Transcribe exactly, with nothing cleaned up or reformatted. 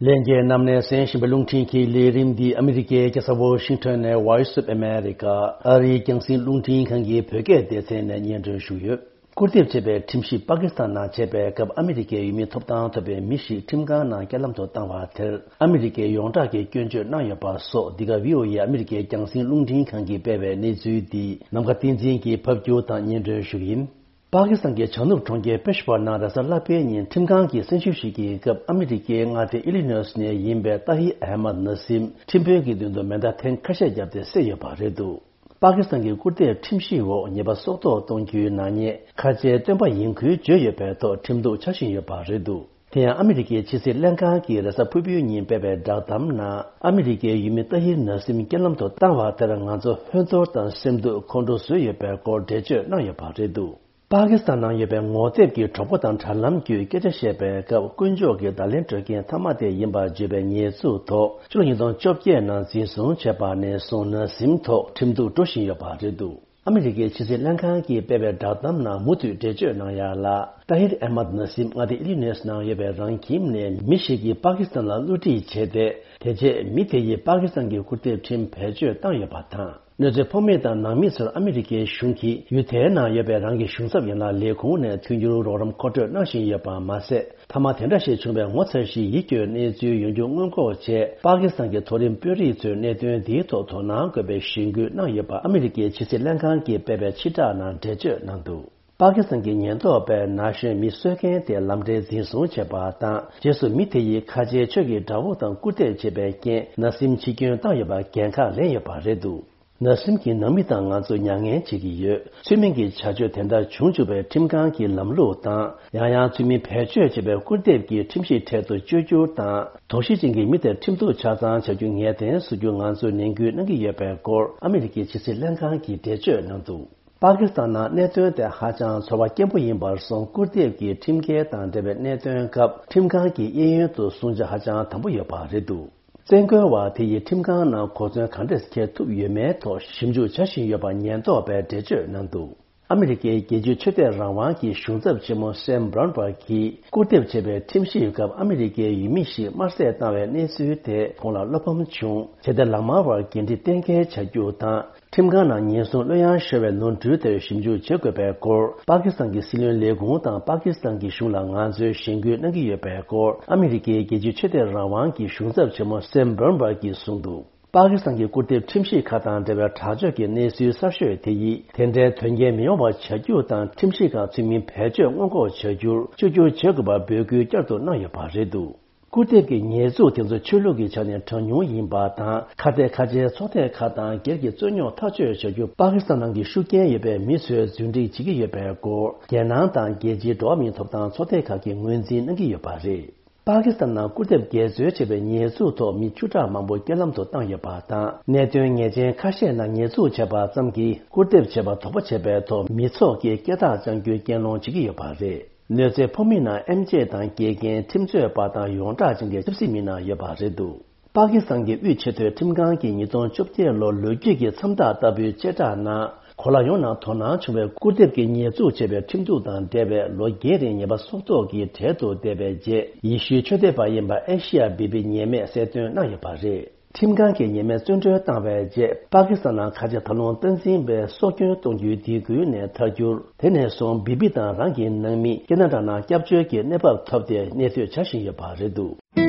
ལྷན་རྒྱས་རྣམས་ནས་གསན་བཞིན་པའི་རླུང་འཕྲིན་གྱི་ལས་རིམ་འདི་ཨ་མི་རི་ཀའི་རྒྱལ་ས་ཝོ་ཤིང་ཊོན་ནས་Voice of America ཨ་རིའི་རྒྱང་སྲིང་རླུང་འཕྲིན་ཁང་གི་བོད་སྐད་སྡེ་ཚན་ནས་སྙན་སྒྲོན་ཞུས་ཡོད། སྐུར་འདེབས་བྱས་པའི་ཁྲིམས་ཞིབ་པ་ཀི་སི་ཐན་ནང་བྱས་པའི་སྐབས་ཨ་མི་རི་ཀའི་ཡུལ་མིའི་ཐོབ་ཐང་ཐོབ་པའི་མི་ཞིག་ཁྲིམས་ཁང་ནང་རྐྱེན་ལམ་དུ་བཏང་བ་དེར་ཨ་མི་རི་ཀས་ཡོངས་གྲགས་ཀྱི་སྐྱོན་བརྗོད་གནང་ཡོད་པ་སོགས། འདི་ག་ཝི་ཨོ་ཨེ་ཨ་མི་རི་ཀའི་རྒྱང་སྲིང་རླུང་འཕྲིན་ཁང་གིས་སྤེལ་བའི་གནས་ཚུལ་འདི་ནམ་མཁའ་བསྟན་འཛིན་གྱིས་ཕབ་སྒྱུར་དང་སྙན་སྒྲོན་ཞུ་གི་ཡིན། པ་ཀི་སི་ཐན་གྱི་བྱང་ནུབ་གྲོང་ཁྱེར་པེ་ཤ་ཝར་ནང་རེས་གཟའ་ལྷག་པའི་ཉིན་ཁྲིམས་ཁང་གིས་གསན་ཞིབ་ཞིག་གི་སྐབས་ཨ་མི་རི་ཀའི་མངའ་སྡེ་ཨི་ལི་ནོས་ནས་ཡིན་པའི་ཏཱ་ཧིར་ཨེ་མད་ན་སིམ་ཁྲིམས་དཔོན་གྱི་མདུན་དུ་མེ་མདའ་ཐེངས་ཁ་ཤས་བརྒྱབ་སྟེ་བསད་ཡོད་པ་རེད་འདུག་པ་ཀི་སི་ཐན་གྱི་སྐུར་འདེབས་ཁྲིམས་ཞིབ་འོག་ཉེས་པ་སྲོག་ཐོག་གཏོང་རྒྱུའི་ནག་ཉེས་ཁ་ཆེའི་སྟོན་པ་ཡིན་ཁུལ་བརྗོད་ཡོད་པའི་ཐོག་ཁྲིམས་གཏུག་བྱ་བཞིན་ཡོད་པ་རེད་འདུག་དེ་ཡང་ཨ་མི་རི་ཀའི་ཕྱི་སྲིད་ལྷན་ཁང་གིས་རེས་གཟའ་ཕུར་བུའི་ཉིན་སྤེལ་བའི་བསྒྲགས་གཏམ་ནང་ཨ་མི་རི་ཀའི་ཡུལ་མི་ཏཱ་ཧིར་ནཱ་སིམ་རྐྱེན་ལམ་དུ་བཏང་བ་དེར་ང་ཚོ་ཧོན་ཐོར་དང་སེམས་སྡུག་ཁོང་ཁྲོ་བཟོས་ཡོད་པའི་སྐོར་འགྲེལ་བརྗོད་གནང་ཡོད་པ་རེད་འདུག་པ་ཀི་སི་ཐན་ནང་ཡོད་པའི་ངོ་དེབ་ཀྱི་གྲོགས་པོ་དང་དྲ་ལམ་བརྒྱུད་སྐད་ཆ་བཤད་པའི་སྐབས་དཀོན་མཆོག་གི་བརྡ་ལན་སྤྲོད་མཁན་མཐའ་མ་དེ་ཡིན་པར་བརྗོད་པའི་ཉེས་འཛུགས་ཐོག་ཕྱི་ལོ་ཉིས་སྟོང་བཅོ་བརྒྱད་ནང་འཛིན་བཟུང་བྱས་པ་ནས་བཟུང་ནཱ་སིམ་ཐོག་ཁྲིམས་གཏུག་འགྲོ་བཞིན་ཡོད་པ་རེད་འདུག་ཨ་མི་རི་ཀའི་ཕྱི་སྲིད་ལྷན་ཁང་གིས་སྤེལ་བའི་བསྒྲགས་གཏམ་ནང་མུ་མཐུད་འགྲེལ་བརྗོད་གནང་ཡ་ལ། ཏཱ་ཧིར་ཨེ་མད་ན་སིམ་མངའ་སྡེ་ཨི་ལི་ནོས་ནང་ཡོད་པའི་རང་ཁྱིམ་ནས་མི་ཞིག་གིས་པ་ཀི་སི་ཐན་ལ་བསླུ་བྲིད་བྱས་ཏེ། དེ་རྗེས་མི་དེ་ཡིས་པ་ཀི་སི་ཐན་གྱི་སྐུར་འདེབས་ཁྲིམས་བེད་སྤྱོད་བཏང་ཡོད་པ་དང་། གནོད་འཚེ་ཕོག་མི་དང་ནང་མི་ཚོར་ཨ་མི་རི་ཀའི་གཞུང་གིས་ཡུལ་དེའི་ནང་ཡོད་པའི་རང་གི་གཞུང་ཚབ་ཡན་ལག་ལས་ཁུངས་ནས་མཐུན་འགྱུར་རོགས་རམ་མཁོ་སྤྲོད་གནང་བཞིན་ཡོད་པ་མ་ཟད། མཐའ་མ་དེ་འདྲ་ཞིག་བྱུང་བའི་ངོ་མཚར་ཞིང་ཡིད་སྐྱོའི་གནས་ཚུལ་ཡོང་རྒྱུ་སྔོན་འགོག་ཆེད། པ་ཀི་སི་ཐན་གྱི་མཐོ་རིམ་དཔོན་རིགས་ཚོས་གནད་དོན་འདིའི་ཐོག་དོ་སྣང་དགོས་པའི་གཞེན་སྐུལ་གནང་ཡོད་པ་ཨ་མི་རི་ཀའི་ཕྱི་སྲིད་ལྷན་ཁང་གིས་སྤེལ་བའི་ཕྱིར་བསྒྲགས་ནང་འགྲེལ་བརྗོད་གནང་འདུག་པ་ཀི་སི་ཐན་གྱི་ཉེན་རྟོག་པས་ན་གཞོན་མི་གསོད་མཁན་དེ་ལམ་འབྲས་འཛིན་བཟུང་བྱས་པ་དང་། རྗེས་སུ་མི་དེ་ཡིས་ཁ་ཆེའི་ཆོས་ཀྱི་དགྲ་བོ་དང་སྐུར་འདེབས་བྱས་པའི་རྐྱེན་ནཱ་སིམ་འཆི་སྐྱོན་བཏང་ཡོད་པར་འགན་ཁག་ལེན་ཡོད་པ་རེད་འདུག་ནཱ་སིམ་གྱི་ནང་མི་དང་ང་ཚོ་མྱ་ངན་བྱེད་ཀྱི་ཡོད། ཚུལ་མིན་གྱི་བྱ་སྤྱོད་དེ་འདྲ་བྱུང་བཅུག་པའི་ཁྲིམས་ཁང་གི་ལམ་ལུགས་དང་། ཡང་ཡང་ཚུལ་མིན་བེད་སྤྱོད་བྱས་པའི་སྐུར་འདེབས་ཀྱི་ཁྲིམས་གཞི་འཕྲལ་དུ་བཅོས་བསྒྱུར་དང་། དོགས་གཞི་ཅན་གྱི་མི་དེར་ཁྲིམས་གཏུག་ཆ་ཚང་བྱ་རྒྱུ་ངེས་གཏན་བཟོ་རྒྱུ་ང་ཚོས་ནན་སྐུལ་གནང་གི་ཡོད་པའི་སྐོར་ཨ་མི་རི་ཀའི་ཕྱི་སྲིད་ལྷན་ཁང་གིས་འགྲེལ་བརྗོད་གནང་འདུག་པ་ཀི་སི་ཐན་ནང་གནད་དོན་དེ་ཧ་ཅང་ཚོར་བ་སྐྱེན་པོ་ཡིན་པར་སོང་། སྐུར་འདེབས་ཀྱི་ཁྲིམས་འགལ་དང་འབྲེལ་བའི་གནད་དོན་སྐབས་ཁྲིམས་ཁང་གི་གཡས་གཡོན་དུ་སྲུང་བྱ་ཧ་ཅང་དམ་པོ་ཡོད་པ་རེད་འདུག་བཙན་རྒོལ་བ་དེ་ཡིས་ཁྲིམས་ཁང་ནང་གོ་མཚོན་ག་འདྲས་འཁྱེར་ཐུབ་ཡོད་མེད་ཐོག་ཞིབ་འཇུག་བྱ་བཞིན་ཡོད་པ་ཉེན་རྟོག་པས་འགྲེལ་བརྗོད་གནང་འདུག་ཨ་མི་རི་ཀའི་རྒྱལ་སྤྱིའི་ཆོས་དད་རང་དབང་གི་གཞུང་ཚབ་ཆེན་མོ་སེམ་བྷ་རོན་བྷར་གྱིས་སྐུར་འདེབས་བྱས་པའི་ཁྲིམས་ཞིབ་སྐབས་ཨ་མི་རི་ཀའི་ཡུལ་མི་ཞིག་དམར་བསད་བཏང་བའི་གནས་ཚུལ་དེ་ཁོང་ལ་བློ་ཕམ་བྱུང་། བྱས་ཏེ་ལག་དམར་བར་འགན་འཁྲི་གཏན་འཁེལ་བྱ་རྒྱུ་དང་། ཁྲིམས་ཁང་ནང་ཉེན་སྲུང་གླུ་དབྱངས་ཤོར་བའི་ནོར་འཁྲུལ་དེར་ཞིབ་འཇུག་བྱེད་དགོས་པའི་སྐོར་པ་ཀི་སི་ཐན་གྱི་སྲིད་བློན་ལས་ཁུངས་དང་པ་ཀི་སི་ཐན་གྱི་གཞུང་ལ་ང་ཚོས་གཞེན་སྐུལ་གནང་གི་ཡོད་པའི་སྐོར་ཨ་མི་རི་ཀའི་རྒྱལ་སྤྱིའི་ཆོས་དད་རང་དབང་གི་གཞུང་ཚབ་ཆེན་མོ་སེམ་བྷ་རོན་བྷར་གྱིས་གསུངས་འདུག་པ་ཀི་སི་ཐན་གྱི་སྐུར་འདེབས་ཁྲིམས་ཞིབ་ཁག་དང་འབྲེལ་བའི་དྲག་སྤྱོད་ཀྱི་གནས་ཚུལ་གསར་ཤོས་དེ་ཡིས་དེ་འདྲའི་དོན་རྐྱེན་མི་ཡོང་བ་བྱ་རྒྱུ་དང་། ཁྲིམས་ཞིབ་ཁག་ཚུལ་མིན་བེད་སྤྱོད་སྔོན་འགོག་བྱ་རྒྱུར་བཅོས་བསྒྱུར་བྱེད་དགོས་པར་འབོད་སྐུལ་བསྐྱར་དུ་གནང་ཡོད་པ་རེད་འདུག་སྐུར་འདེབས་ཀྱི་ཉེས་འཛུགས་དེ་ཚོ་ཆོས་ལུགས་ཀྱི་ཆ་ནས་གྲངས་ཉུང་ཡིན་པ་དང་། ཁ་གཏད་ཁ་ཆེའི་ཚོགས་སྡེ་ཁག་དང་སྒེར་གྱི་རྩོད་རྙོག་ཐག་གཅོད་བྱ་རྒྱུར་པ་ཀི་སི་ཐན་ནང་གི་ཤུགས་རྐྱེན་ཡོད་པའི་མི་ཚོས་རྫུན་སྒྲིག་བྱེད་ཀྱི་ཡོད་པའི་སྐོར། རྒྱལ་ནང་དང་རྒྱལ་སྤྱིའི་འགྲོ་བ་མིའི་ཐོབ་ཐང་ཚོགས་སྡེ་ཁག་གིས་ངོས་འཛིན་གནང་གི་ཡོད་པ་རེད། པ་ཀི་སི་ཐན་ནང་སྐུར་འདེབས་འགལ་འཛོལ་བྱས་པའི་ཉེས་འཛུགས་ཐོག་མི་བཅུ་ཕྲག་མང་པོ་རྐྱེན་ལམ་དུ་བཏང་ཡོད་པ་དང་། གནད་དོན་ངེས་ཅན་ཁ་ཤས་ནང་ཉེས་འཛུགས་བྱས་པ་ཙམ་གྱིས་སྐུར་འདེབས་བྱས་པ་དོགས་པ་བྱས་པའི་ཐོག་མི་ཚོགས་ཀྱིས་སྐད་གྲགས་བཅང་རྒྱུའི་གྱེན་ལངས་བྱེད་ཀྱི་ཡོད་པ་རེད། གནོད་འཚེ་ཕོག་མི་ནང་ཨེམ་ཆི་དང་དགེ་རྒན། ཁྲིམས་རྩོད་པ་དང་ཡོངས་གྲགས་ཅན་གྱི་ཆབ་སྲིད་མི་སྣ་ཡོད་པ་རེད་འདུག་པ་ཀི་སི་ཐན་གྱི་དབུས་ཆེས་མཐོའི་ཁྲིམས་ཁང་གིས་ཉིས་སྟོང་བཅོ་བརྒྱད་ལོར་ལོ་རྒྱུས་ཀྱི་མཚམས་རྟགས་ལྟ་བུའི་བཅད་ཁྲ་ནང་། གོ་ལ་ཡོངས་ནང་དོ་སྣང་བྱུང་བའི་སྐུར་འདེབས་ཀྱི་ཉེས་འཛུགས་བྱས་པའི་ཁྲིམས་གཏུག་དང་འབྲེལ་བའི་ལོ་བརྒྱད་རིང་ཉེས་པ་སྲོག་ཐོག་གི་གྲལ་དུ་བསྡད་པའི་རྗེས། ཡེ་ཤུའི་ཆོས་དད་པ་ཡིན་པ་ཨེ་ཤི་ཡ་བི་བི་ཉེས་མེད་གསལ་སྟོན་གནང་ཡོད་པ་རེད། ཁྲིམས་ཁང་གིས་ཉེས་མེད་བཙོན་གྲོལ་བཏང་བའི་རྗེས། པ་ཀི་སི་ཐན་ནང་ཁ་ཆེ་ད་ལུང་སྟངས་འཛིན་པས་སྲོག་སྐྱོན་གཏོང་རྒྱུའི་སྡིགས་སྐུལ་ནས་ཐར་རྒྱུར། དེ་ནས་བཟུང་བི་བི་དང་རང་གི་ནང་མི་ཀེ་ན་ཌ་ནང་སྐྱབས་བཅོལ་གྱི་གནས་བབ་ཐོབ་སྟེ་གནས་སྡོད་བྱ་བཞིན་ཡོད་པ་རེད་འདུག